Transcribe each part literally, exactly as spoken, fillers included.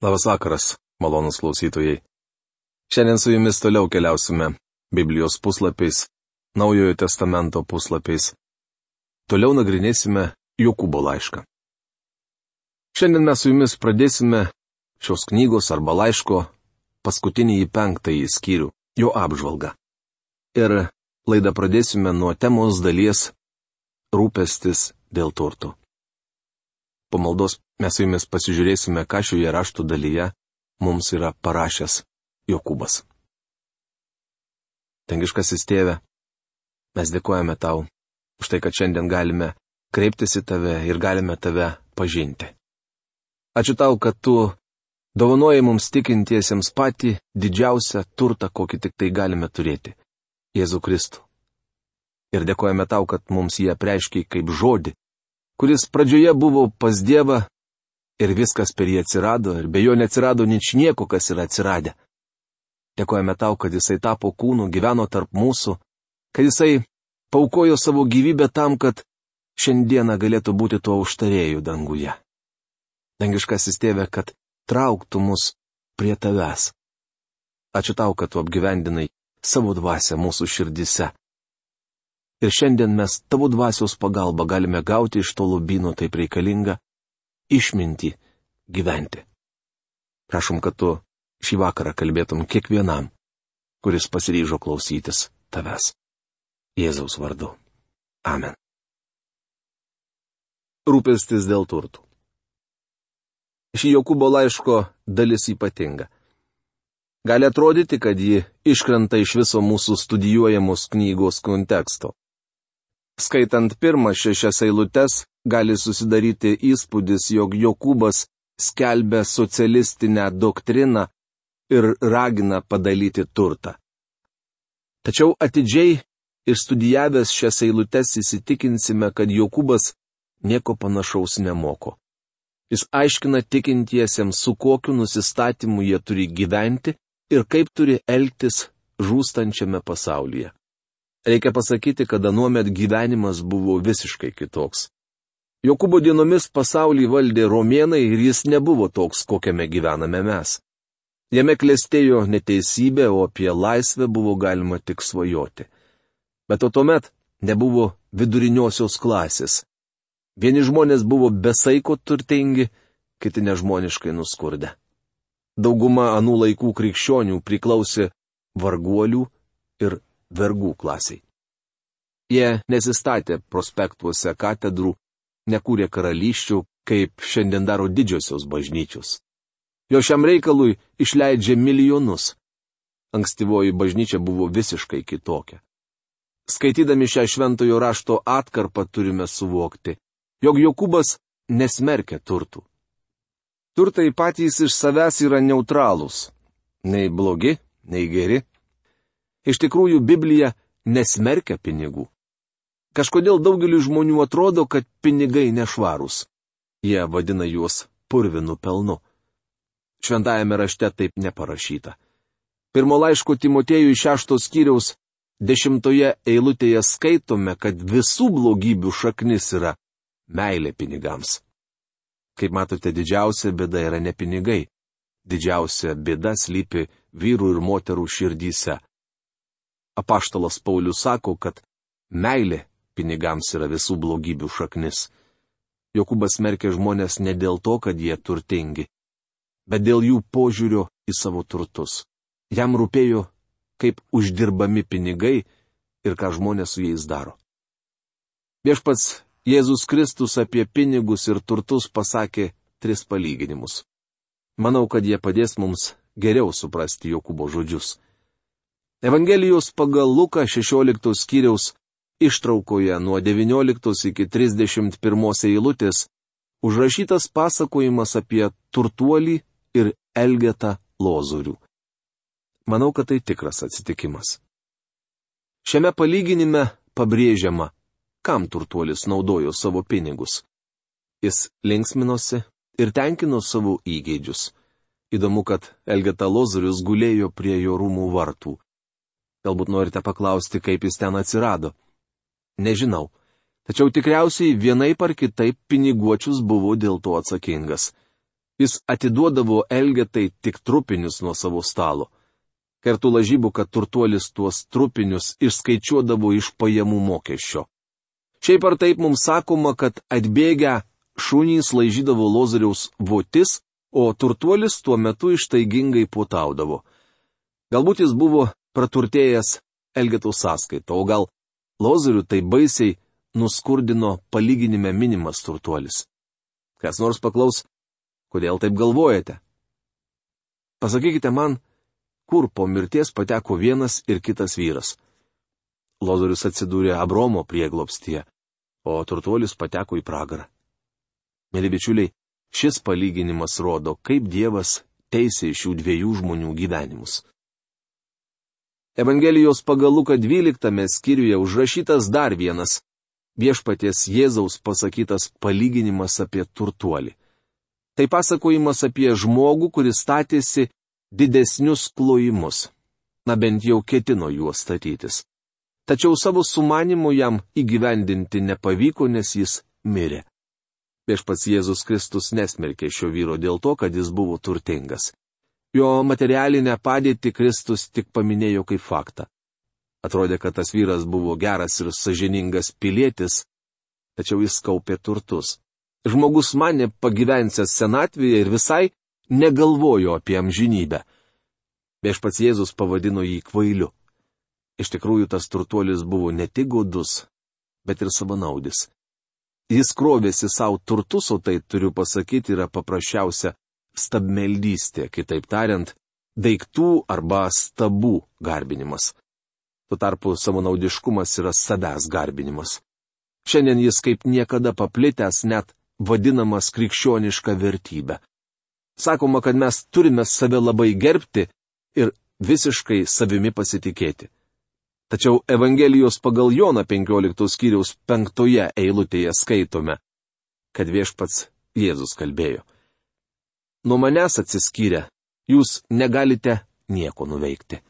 Labas vakaras, malonus klausytojai. Šiandien su jumis toliau keliausime Biblijos puslapiais, Naujojo testamento puslapiais. Toliau nagrinėsime Jokūbo laišką. Šiandien mes su jumis pradėsime šios knygos arba laiško paskutinį penktąjį skyrių, jo apžvalgą. Ir laidą pradėsime nuo temos dalies rūpestis dėl turtų. Po maldos mes su jumis pasižiūrėsime, ką šioje raštų dalyje mums yra parašęs Jokūbas. Dangiškasis Tėve, mes dėkojame Tau už tai, kad šiandien galime kreiptis į Tave ir galime Tave pažinti. Ačiū Tau, kad Tu dovanoji mums tikintiesiems patį didžiausią turtą, kokį tik tai galime turėti - Jėzų Kristų. Ir dėkojame Tau, kad mums jį apreiškiai kaip žodį, kuris pradžioje buvo pas Dievą ir viskas per jį atsirado, ir be jo neatsirado nič nieko, kas yra atsiradę. Dėkojame Tau, kad Jisai tapo kūnu, gyveno tarp mūsų, kad Jisai paukojo savo gyvybę tam, kad šiandieną galėtų būti tuo užtarėju danguje. Dangiškasis Tėve, kad trauktų mus prie Tavęs. Ačiū Tau, kad Tu apgyvendinai savo dvasią mūsų širdise. Ir šiandien mes Tavo dvasios pagalba galime gauti iš to lobyno taip reikalingą išmintį gyventi. Prašom, kad Tu šį vakarą kalbėtum kiekvienam, kuris pasiryžo klausytis Tavęs. Jėzaus vardu. Amen. Rūpestis dėl turtų. Ši Jokūbo laiško dalis ypatinga. Gali atrodyti, kad ji iškrenta iš viso mūsų studijuojamos knygos konteksto. Skaitant pirmas šešias eilutes, gali susidaryti įspūdis, jog Jokūbas skelbia socialistinę doktriną ir ragina padalyti turtą. Tačiau atidžiai išstudijavęs šias eilutes įsitikinsime, kad Jokūbas nieko panašaus nemoko. Jis aiškina tikintiesiems, su kokiu nusistatymu jie turi gyventi ir kaip turi elgtis žūstančiame pasaulyje. Reikia pasakyti, kad anuomet gyvenimas buvo visiškai kitoks. Jokūbo dienomis pasaulį valdė romėnai ir jis nebuvo toks, kokiame gyvename mes. Jame klestėjo neteisybė, o apie laisvę buvo galima tik svajoti. Bet o tuomet nebuvo viduriniosios klasės. Vieni žmonės buvo besaiko turtingi, kiti nežmoniškai nuskurdę. Dauguma anų laikų krikščionių priklausė varguolių ir vergų klasiai. Jie nesistatė prospektuose katedrų, nekūrė karalysčių, kaip šiandien daro didžiosios bažnyčios. Jo šiam reikalui išleidžia milijonus. Ankstyvoji bažnyčia buvo visiškai kitokia. Skaitydami šią šventojo rašto atkarpą turime suvokti, jog Jokūbas nesmerkia turtų. Turtai patys iš savęs yra neutralūs. Nei blogi, nei geri. Iš tikrųjų, Biblija nesmerkia pinigų. Kažkodėl daugeliu žmonių atrodo, kad pinigai nešvarūs. Jie vadina juos purvinu pelnu. Šventajame rašte taip neparašyta. Pirmo laiško Timotėjui šešto skyriaus dešimtoje eilutėje skaitome, kad visų blogybių šaknis yra meilė pinigams. Kaip matote, didžiausia bėda yra ne pinigai. Didžiausia bėda slypi vyrų ir moterų širdyse. Apaštalas Paulius sako, kad meilė pinigams yra visų blogybių šaknis. Jokūbas smerkia žmonės ne dėl to, kad jie turtingi, bet dėl jų požiūrio į savo turtus. Jam rūpėjo, kaip uždirbami pinigai ir ką žmonės su jais daro. Viešpats Jėzus Kristus apie pinigus ir turtus pasakė tris palyginimus. Manau, kad jie padės mums geriau suprasti Jokūbo žodžius. Evangelijos pagal Luką šešioliktos skyriaus ištraukoje nuo devynioliktos iki trisdešimt pirmos eilutės užrašytas pasakojimas apie turtuolį ir Elgetą Lozorių. Manau, kad tai tikras atsitikimas. Šiame palyginime pabrėžiama, kam turtuolis naudojo savo pinigus. Jis linksminosi ir tenkino savo įgeidžius. Įdomu, kad Elgeta Lozorius gulėjo prie jo rūmų vartų. Galbūt norite paklausti, kaip jis ten atsirado. Nežinau. Tačiau tikriausiai vienaip ar kitaip piniguočius buvo dėl to atsakingas. Jis atiduodavo Elgetai tik trupinius nuo savo stalo. Kertų lažybų, kad turtuolis tuos trupinius išskaičiuodavo iš pajamų mokesčio. Šiaip ar taip mums sakoma, kad atbėgę šunys laižydavo Lozoriaus votis, o turtuolis tuo metu ištaigingai puotaudavo. Galbūt jis buvo praturtėjęs Elgetos sąskaito, o gal Lozorių tai baisiai nuskurdino palyginime minimas turtuolis. Kas nors paklaus, kodėl taip galvojate? Pasakykite man, kur po mirties pateko vienas ir kitas vyras. Lozorius atsidūrė Abromo prieglobstyje, o turtuolis pateko į pragarą. Mėly bičiuliai, šis palyginimas rodo, kaip Dievas teisė šių dviejų žmonių gyvenimus. Evangelijos pagal Luką dvyliktame skyriuje užrašytas dar vienas Viešpaties Jėzaus pasakytas palyginimas apie turtuolį. Tai pasakojimas apie žmogų, kuris statėsi didesnius klojimus. Na bent jau ketino juos statytis. Tačiau savo sumanimu jam įgyvendinti nepavyko, nes jis mirė. Viešpats Jėzus Kristus nesmerkė šio vyro dėl to, kad jis buvo turtingas. Jo materialinę padėtį Kristus tik paminėjo kaip faktą. Atrodė, kad tas vyras buvo geras ir sąžiningas pilietis, tačiau jis kaupė turtus. Žmogus manė pagyvensęs senatvėje ir visai negalvojo apie amžinybę. Viešpats Jėzus pavadino jį kvailiu. Iš tikrųjų, tas turtuolis buvo ne tik godus, bet ir savanaudis. Jis krovėsi savo turtus, o tai, turiu pasakyti, yra paprasčiausia stabmeldystė, kitaip tariant, daiktų arba stabų garbinimas. Tuo tarpu savanaudiškumas yra savęs garbinimas. Šiandien jis kaip niekada paplitęs, net vadinamas krikščioniška vertybė. Sakoma, kad mes turime save labai gerbti ir visiškai savimi pasitikėti. Tačiau Evangelijos pagal Joną penkioliktos skyriaus penktoje eilutėje skaitome, kad Viešpats Jėzus kalbėjo: Nuo manęs atsiskyrę, jūs negalite nieko nuveikti.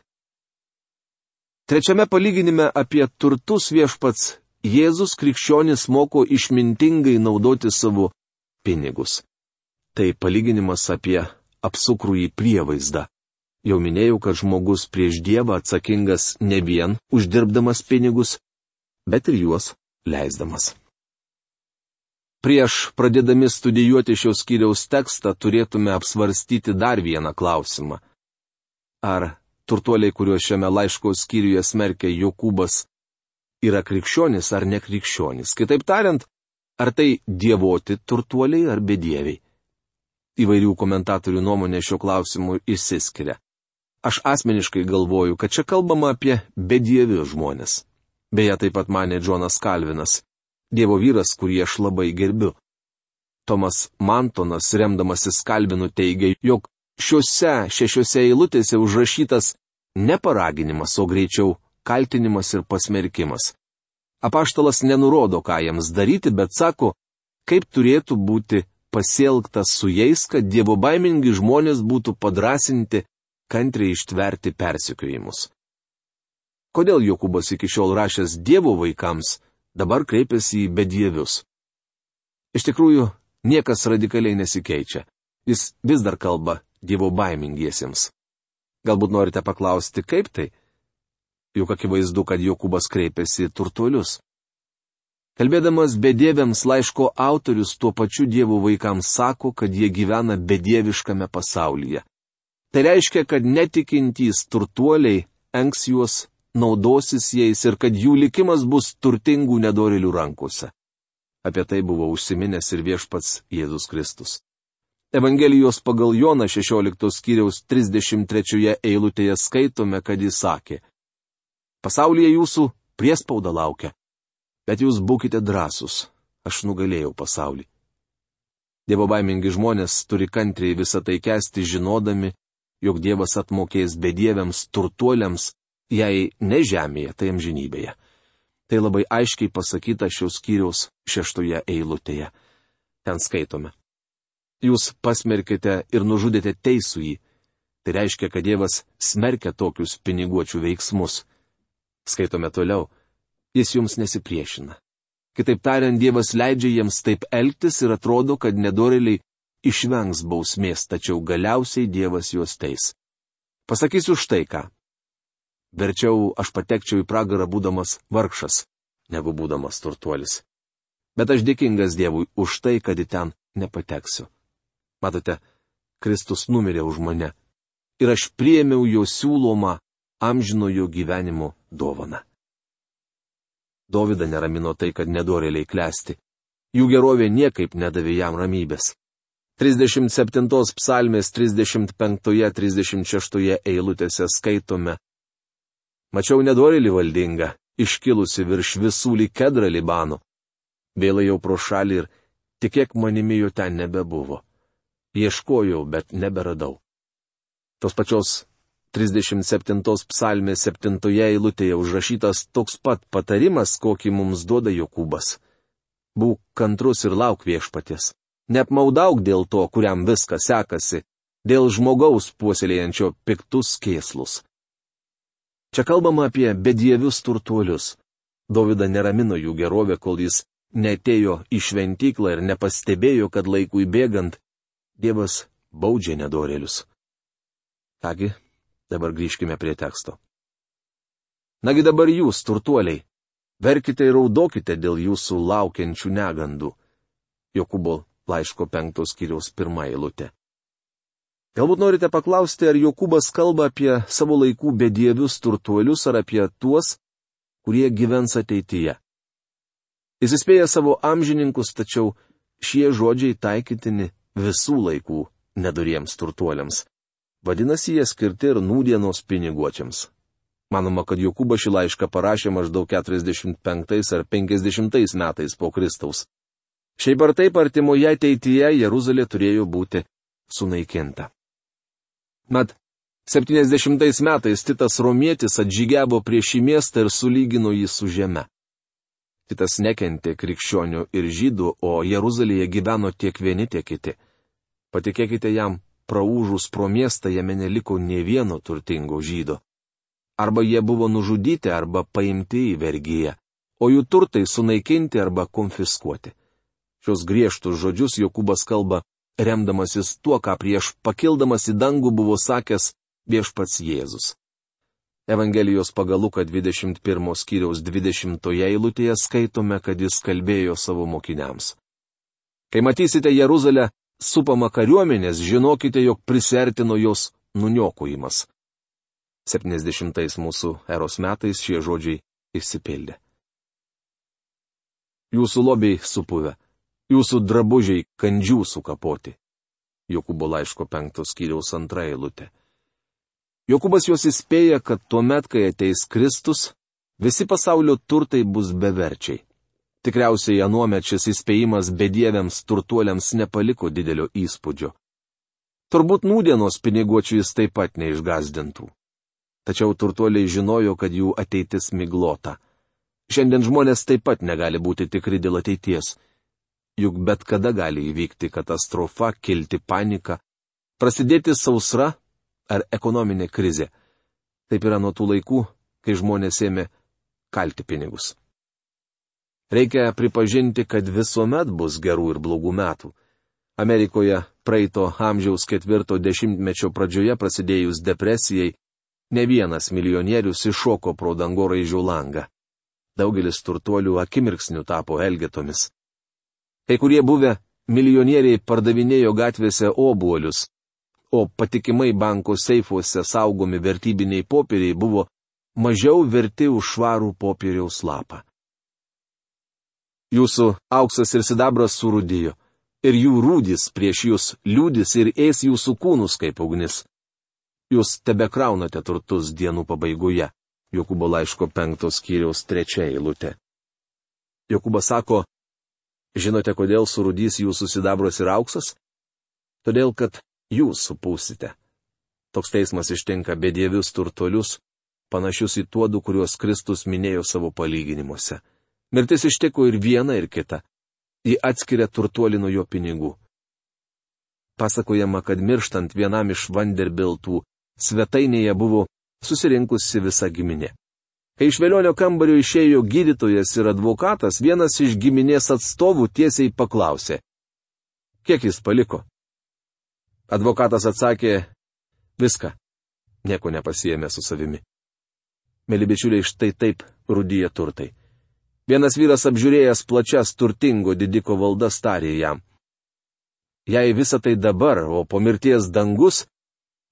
Trečiame palyginime apie turtus Viešpats Jėzus krikščionis moko išmintingai naudoti savo pinigus. Tai palyginimas apie apsukrųjį prievaizdą. Jau minėjau, kad žmogus prieš Dievą atsakingas ne vien uždirbdamas pinigus, bet ir juos leisdamas. Prieš pradėdami studijuoti šios skyriaus tekstą turėtume apsvarstyti dar vieną klausimą. Ar turtuoliai, kuriuos šiame laiško skyriuje smerkia Jokūbas, yra krikščionis ar nekrikščionis? Kitaip tariant, ar tai dievoti turtuoliai ar bedieviai? Įvairių komentatorių nuomonė šio klausimu išsiskiria. Aš asmeniškai galvoju, kad čia kalbama apie bedievius žmonės. Beje, taip pat manė Džonas Kalvinas, Dievo vyras, kurį aš labai gerbiu. Tomas Mantonas, remdamasis Kalvinu, teigia, jog šiuose šešiose eilutėse užrašytas ne paraginimas, o greičiau kaltinimas ir pasmerkimas. Apaštalas nenurodo, ką jiems daryti, bet sako, kaip turėtų būti pasielgtas su jais, kad dievobaimingi žmonės būtų padrasinti kantriai ištverti persekiojimus. Kodėl Jokūbas iki šiol rašęs Dievo vaikams dabar kreipiasi į bedievius? Iš tikrųjų, niekas radikaliai nesikeičia. Jis vis dar kalba dievobaimingiesiems. Galbūt norite paklausti, kaip tai? Juk akivaizdu, kad Jokūbas kreipiasi į turtuolius. Kalbėdamas bedieviams, laiško autorius tuo pačiu Dievo vaikams sako, kad jie gyvena bedieviškame pasaulyje. Tai reiškia, kad netikintys turtuoliai engs juos, naudosis jais ir kad jų likimas bus turtingų nedorėlių rankose. Apie tai buvo užsiminęs ir Viešpats Jėzus Kristus. Evangelijos pagal Joną šešioliktos skyriaus trisdešimt trečioje eilutėje skaitome, kad jis sakė: Pasaulyje jūsų priespauda laukia, bet jūs būkite drąsūs, aš nugalėjau pasaulį. Dievobaimingi žmonės turi kantriai visą tai kęsti, žinodami, jog Dievas atmokės bedieviams turtuoliams, jei ne žemėje, tai amžinybėje. Tai labai aiškiai pasakyta šios skyriaus šeštoje eilutėje. Ten skaitome: Jūs pasmerkite ir nužudėte teisųjį. Tai reiškia, kad Dievas smerkia tokius piniguočių veiksmus. Skaitome toliau: Jis jums nesipriešina. Kitaip tariant, Dievas leidžia jiems taip elgtis ir atrodo, kad nedorėliai išvengs bausmės, tačiau galiausiai Dievas juos teis. Pasakysiu štai ką. Verčiau aš patekčiau į pragarą būdamas vargšas, negu būdamas turtuolis. Bet aš dėkingas Dievui už tai, kad į ten nepateksiu. Matote, Kristus numirė už mane ir aš priėmiau jo siūlomą amžinojo gyvenimo dovaną. Dovydą neramino tai, kad nedorėliai klesti. Jų gerovė niekaip nedavė jam ramybės. trisdešimt septintos psalmės trisdešimt penktoje trisdešimt šeštoje eilutėse skaitome: Mačiau nedorėlį valdingą, iškilusi virš visų lyg kedrą Libano. Vėlai jau pro šalį ir tikėk manimi jo ten nebebuvo. Ieškojau, bet neberadau. Tos pačios trisdešimt septintos psalmės septintoje eilutėje užrašytas toks pat patarimas, kokį mums duoda Jokūbas. Būk kantrus ir lauk viešpaties. Neapmaudauk dėl to, kuriam viskas sekasi, dėl žmogaus puoselėjančio piktus kėslus. Čia kalbama apie bedievius turtuolius. Dovydą neramino jų gerovė, kol jis neatėjo į šventyklą ir nepastebėjo, kad laikui bėgant Dievas baudžia nedorėlius. Kągi, dabar grįžkime prie teksto. Nagi dabar jūs, turtuoliai, verkite ir raudokite dėl jūsų laukiančių negandų. Jokūbo laiško penktos skyriaus pirmą eilutę. Galbūt norite paklausti, ar Jokūbas kalba apie savo laikų bedievius turtuolius ar apie tuos, kurie gyvens ateityje. Jis įspėja savo amžininkus, tačiau šie žodžiai taikytini visų laikų nedoriems turtuoliams. Vadinasi, jie skirti ir nūdienos piniguočiams. Manoma, kad Jokūbas šį laišką parašė maždaug keturiasdešimt penktais ar penkiasdešimtais metais po Kristaus. Šiaip ar taip artimoje ateityje Jeruzalė turėjo būti sunaikinta. Mat, septyniasdešimtais metais Titas Romietis atžygiavo prieš šį miestą ir sulygino jį su žeme. Titas nekentė krikščionių ir žydų, o Jeruzalėje gyveno tiek vieni, tiek kiti. Patikėkite jam, praūžus pro miestą jame neliko nė vieno turtingo žydo. Arba jie buvo nužudyti, arba paimti į vergiją, o jų turtai sunaikinti arba konfiskuoti. Šios griežtus žodžius Jokūbas kalba, remdamasis tuo, ką prieš pakildamas į dangų buvo sakęs viešpats Jėzus. Evangelijos pagal Luką dvidešimt pirmo skyriaus dvidešimtoje eilutėje skaitome, kad jis kalbėjo savo mokiniams. Kai matysite Jeruzalę supamą kariuomenės, žinokite, jog prisertino jos nuniokojimas. septyniasdešimtais mūsų eros metais šie žodžiai išsipildė. Jūsų lobiai supuvę, jūsų drabužiai kandžių sukapoti. Jokūbo laiško penktos skyriaus antra eilutė. Jokūbas juos įspėja, kad tuomet, kai ateis Kristus, visi pasaulio turtai bus beverčiai. Tikriausiai anuomet šis įspėjimas bedieviams turtuoliams nepaliko didelio įspūdžio. Turbūt nūdienos piniguočių jis taip pat neišgazdintų. Tačiau turtuoliai žinojo, kad jų ateitis miglota. Šiandien žmonės taip pat negali būti tikri dėl ateities. Juk bet kada gali įvykti katastrofa, kilti panika, prasidėti sausra ar ekonominė krizė. Taip yra nuo tų laikų, kai žmonės ėmė kalti pinigus. Reikia pripažinti, kad visuomet bus gerų ir blogų metų. Amerikoje praeito amžiaus ketvirto dešimtmečio pradžioje prasidėjus depresijai, ne vienas milijonierius iššoko pro dangoraižio langą. Daugelis turtuolių akimirksniu tapo elgetomis. Kai kurie buvę milijonieriai pardavinėjo gatvėse obuolius, o patikimai banko seifuose saugomi vertybiniai popieriai buvo mažiau verti už švarų popieriaus lapą. Jūsų auksas ir sidabras surūdijo, ir jų rūdis prieš jūs liūdis ir ės jūsų kūnus kaip ugnis. Jūs tebekraunate turtus dienų pabaigoje. Jokūbo laiško penktos skyriaus trečia eilutė. Jokūbas sako, žinote, kodėl surūdys jūsų sidabras ir auksas? Todėl, kad jūs supūsite. Toks teismas ištinka bedievius turtuolius, panašius į tuodų, kuriuos Kristus minėjo savo palyginimuose. Mirtis ištiko ir vieną, ir kitą. Ji atskiria turtuolį nuo jo pinigų. Pasakojama, kad mirštant vienam iš Vanderbiltų svetainėje buvo susirinkusi visa giminė. Kai iš velionio kambario išėjo gydytojas ir advokatas, vienas iš giminės atstovų tiesiai paklausė, kiek jis paliko. Advokatas atsakė, viską, nieko nepasiėmė su savimi. Mėly bičiuliai, štai taip rūdyje turtai. Vienas vyras apžiūrėjęs plačias turtingo didiko valdas tarė jam. Jei visa tai dabar, o po mirties dangus,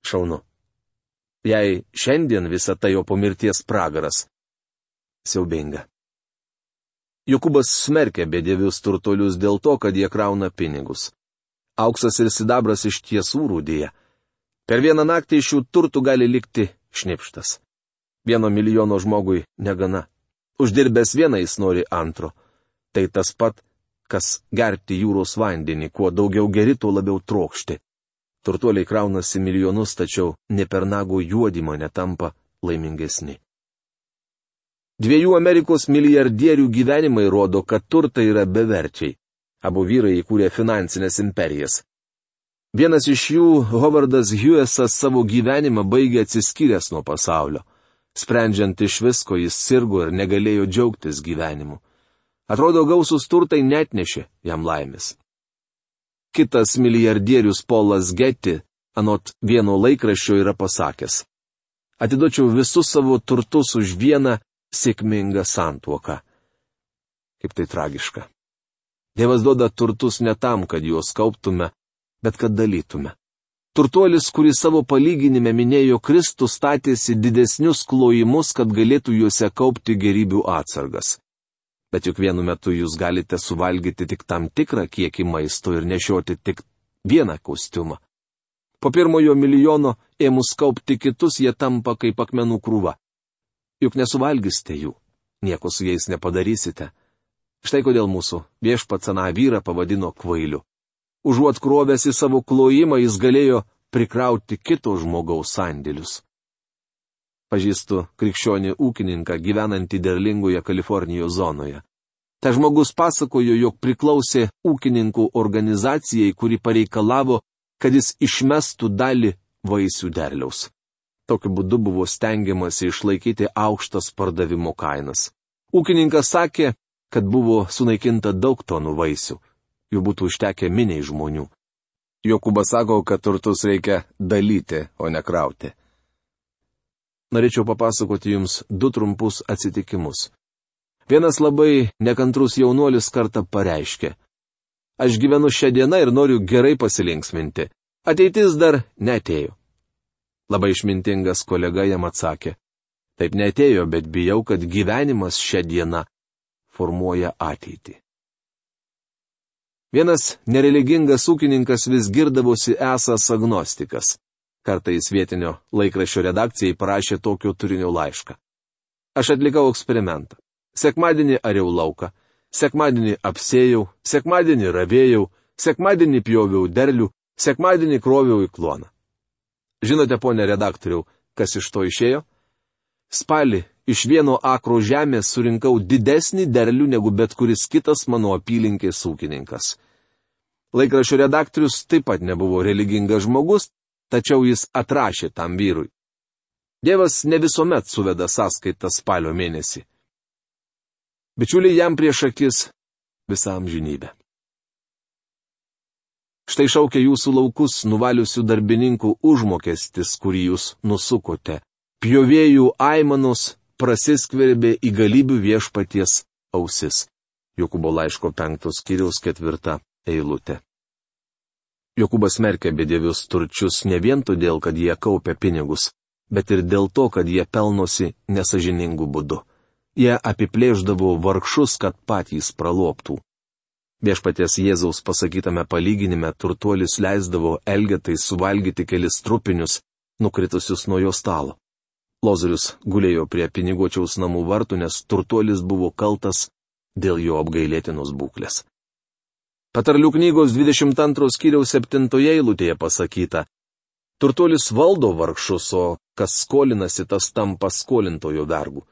šaunu. Jei šiandien visa tai, o po mirties pragaras, siaubinga. Jokūbas smerkė bedievius turtuolius dėl to, kad jie krauna pinigus. Auksas ir sidabras iš tiesų rūdyje. Per vieną naktį iš šių turtų gali likti šnipštas. Vieno milijono žmogui negana. Uždirbęs vieną jis nori antro. Tai tas pat, kas gerti jūros vandenį, kuo daugiau geri, tuo labiau trokšti. Turtuoliai kraunasi milijonus, tačiau ne per nago juodimą netampa laimingesni. Dviejų Amerikos milijardierių gyvenimai rodo, kad turtai yra beverčiai. Abu vyrai įkūrė finansinės imperijas. Vienas iš jų, Hovardas Hughesas, savo gyvenimą baigė atsiskyręs nuo pasaulio. Sprendžiant iš visko, jis sirgo ir negalėjo džiaugtis gyvenimu. Atrodo, gausus turtai netnešė jam laimės. Kitas milijardierius Polas Getty, anot vieno laikraščio, yra pasakęs: atiduočiau visus savo turtus už vieną sėkmingą santuoką. Kaip tai tragiška. Dievas duoda turtus ne tam, kad juos kauptume, bet kad dalytume. Turtuolis, kuris savo palyginime minėjo Kristų, statėsi didesnius klojimus, kad galėtų juose kaupti gerybių atsargas. Bet juk vienu metu jūs galite suvalgyti tik tam tikrą kiekį maisto ir nešioti tik vieną kostiumą. Po pirmojo milijono ėmus kaupti kitus, jie tampa kaip akmenų krūva. Juk nesuvalgysite jų, nieko su jais nepadarysite. Štai kodėl mūsų viešpats aną vyrą pavadino kvailiu. Užuot krovęs į savo klojimą, jis galėjo prikrauti kito žmogaus sandėlius. Pažįstu krikščionį ūkininką gyvenantį derlingoje Kalifornijos zonoje. Ta žmogus pasakojo, jog priklausė ūkininkų organizacijai, kuri pareikalavo, kad jis išmestų dalį vaisių derliaus. Tokiu būdu buvo stengiamasi išlaikyti aukštas pardavimo kainas. Ūkininkas sakė, kad buvo sunaikinta daug tonų vaisių. Jų būtų užtekę miniai žmonių. Jokūbas sako, kad turtus reikia dalyti, o ne krauti. Norėčiau papasakoti jums du trumpus atsitikimus. Vienas labai nekantrus jaunuolis kartą pareiškė: aš gyvenu šią dieną ir noriu gerai pasilinksminti. Ateitis dar neatėjo. Labai išmintingas kolega jam atsakė: taip neatėjo, bet bijau, kad gyvenimas šią dieną formuoja ateitį. Vienas nereligingas ūkininkas vis girdavosi esąs agnostikas. Kartais vietinio laikraščio redakcijai parašė tokio turinio laišką. Aš atlikau eksperimentą. Sekmadienį ariau lauką, sekmadienį apsėjau, sekmadienį ravėjau, sekmadienį pjoviau derlių, sekmadienį kroviau į kloną. Žinote, ponė redaktoriau, kas iš to išėjo? Spalį iš vieno akro žemės surinkau didesnį derlių negu bet kuris kitas mano apylinkės ūkininkas. Laikraščio redaktorius taip pat nebuvo religingas žmogus, tačiau jis atrašė tam vyrui. Dievas ne visuomet suveda sąskaitą spalio mėnesį. Bičiuliai, jam prieš akis visą amžinybę. Štai šaukia jūsų laukus nuvaliusių darbininkų užmokestis, kurį jūs nusukote. Pjovėjų aimanos prasiskverbė į galybių viešpaties ausis. Jokūbo laiško penktos skyriaus ketvirta eilutė. Jokūbas smerkia bedievius turčius ne vien todėl, kad jie kaupia pinigus, bet ir dėl to, kad jie pelnosi nesažiningų būdu. Jie apiplėždavo vargšus, kad patys praloptų. Viešpaties Jėzaus pasakytame palyginime turtuolis leisdavo Elgetai suvalgyti kelis trupinius, nukritusius nuo jo stalo. Lozorius gulėjo prie piniguočiaus namų vartų, nes turtuolis buvo kaltas dėl jo apgailėtinos būklės. Patarlių knygos dvidešimt antros skyriaus septintoje eilutėje pasakyta: turtuolis valdo vargšus, o kas skolinasi, tas tampa skolintojo vergu.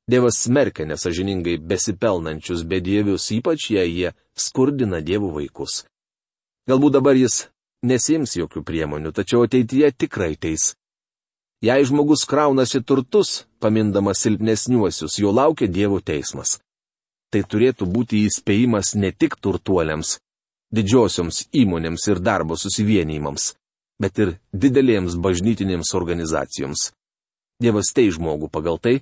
Dievas smerkia nesažiningai besipelnančius bedievius, ypač jei jie skurdina Dievo vaikus. Galbūt dabar jis nesiims jokių priemonių, tačiau ateityje tikrai teis. Jei žmogus kraunasi turtus, pamindamas silpnesniuosius, jo laukia Dievo teismas. Tai turėtų būti įspėjimas ne tik turtuoliams, didžiosioms įmonėms ir darbo susivienijimams, bet ir didelėms bažnytinėms organizacijoms. Dievas tei žmogų pagal tai,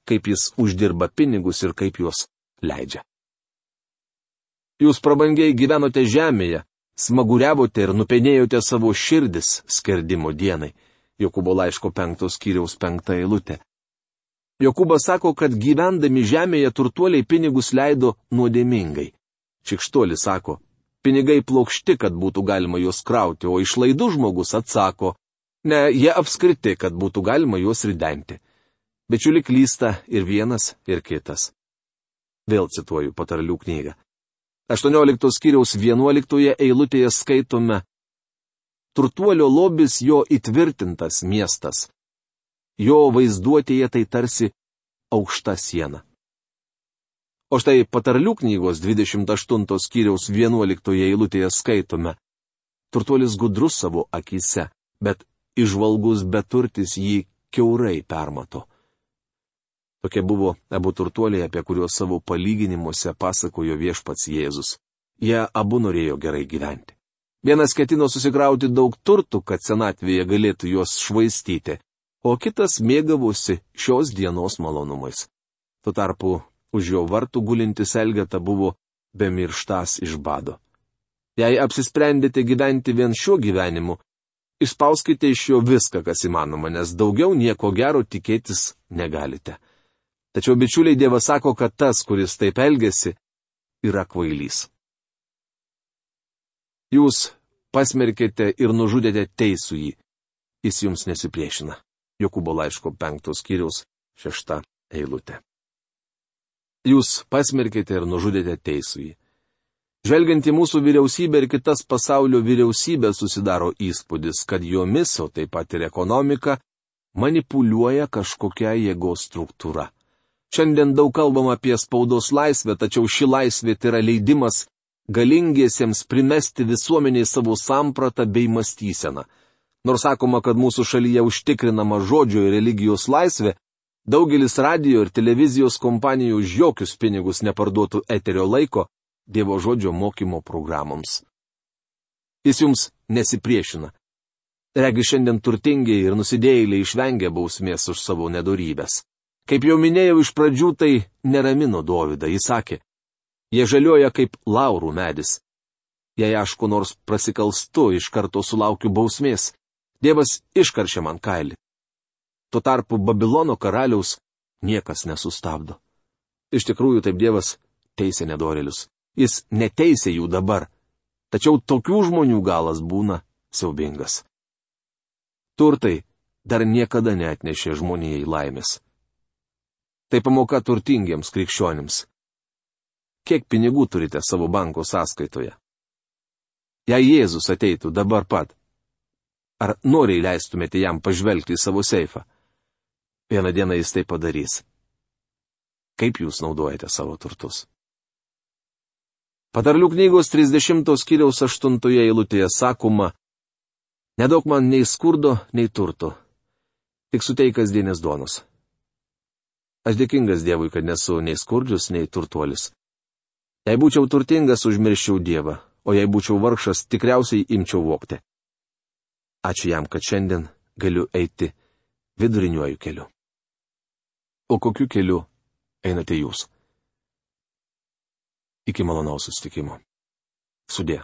kaip jis uždirba pinigus ir kaip juos leidžia. Jūs prabangiai gyvenote žemėje, smaguriavote ir nupenėjote savo širdis skerdimo dienai. Jokūbo laiško penktos skyriaus penkta eilutė. Jokūbas sako, kad gyvendami žemėje turtuoliai pinigus leido nuodėmingai. Šikštuolis sako, pinigai plokšti, kad būtų galima juos krauti, o išlaidų žmogus atsako, ne, jie apskriti, kad būtų galima juos ridenti. Bičiuli klysta ir vienas, ir kitas. Vėl cituoju patarlių knygą. aštuonioliktos skyriaus vienuoliktoje eilutėje skaitome: turtuolio lobis jo įtvirtintas miestas. Jo vaizduotėje tai tarsi aukšta siena. O štai patarlių knygos dvidešimt aštuntos skyriaus vienuoliktoje eilutėje skaitome: turtuolis gudrus savo akyse, bet įžvalgus beturtis jį kiaurai permato. Tokie buvo abu turtuoliai, apie kuriuos savo palyginimuose pasakojo viešpats Jėzus. Jie abu norėjo gerai gyventi. Vienas ketino susikrauti daug turtų, kad senatvėje galėtų juos švaistyti, o kitas mėgavosi šios dienos malonumais. Tuo tarpu už jo vartų gulintis Elgeta buvo bemirštas iš bado. Jei apsisprendėte gyventi vien šiuo gyvenimu, išspauskite iš jo viską, kas įmanoma, nes daugiau nieko gero tikėtis negalite. Tačiau bičiuliai, Dievas sako, kad tas, kuris taip elgesi, yra kvailys. Jūs pasmerkėte ir nužudėte teisųjį. Jis jums nesipriešina. Jokūbo laiško penktos skyriaus šešta eilutė. Jūs pasmerkėte ir nužudėte teisųjį. Žvelgiant į mūsų vyriausybę ir kitas pasaulio vyriausybės susidaro įspūdis, kad jomis, o taip pat ir ekonomika, manipuliuoja kažkokia jėgos struktūra. Šiandien daug kalbam apie spaudos laisvę, tačiau ši laisvė tai yra leidimas galingiesiems primesti visuomeniai savo sampratą bei mąstyseną. Nors sakoma, kad mūsų šalyje užtikrinama žodžio ir religijos laisvė, daugelis radio ir televizijos kompanijų už jokius pinigus neparduotų eterio laiko Dievo žodžio mokymo programoms. Jis jums nesipriešina. Regi, šiandien turtingiai ir nusidėjėliai išvengia bausmės už savo nedorybės. Kaip jau minėjau iš pradžių, tai neramino Dovydą. Jis sakė, jie žalioja kaip laurų medis. Jei aš ko nors prasikalstu, iš karto sulaukiu bausmės. Dievas iškaršė man kailį. Tuo tarpu Babilono karaliaus niekas nesustabdo. Iš tikrųjų, taip Dievas teisė nedorėlius. Jis neteisė jų dabar. Tačiau tokių žmonių galas būna siaubingas. Turtai dar niekada neatnešė žmonijai laimės. Tai pamoka turtingiems krikščionims. Kiek pinigų turite savo banko sąskaitoje? Jei Jėzus ateitų dabar pat, ar noriai leistumėte jam pažvelgti į savo seifą? Vieną dieną jis tai padarys. Kaip jūs naudojate savo turtus? Patarlių knygos trisdešimtos skyriaus aštuntoje eilutėje sakoma: nedaug man nei skurdo, nei turto, tik suteik kasdienės duonos. Aš dėkingas Dievui, kad nesu nei skurdžius, nei turtuolis. Jei būčiau turtingas, užmirščiau Dievą, o jei būčiau vargšas, tikriausiai imčiau vogti. Ačiū jam, kad šiandien galiu eiti viduriniuoju keliu. O kokiu keliu einate jūs? Iki malonaus susitikimo. Sudie.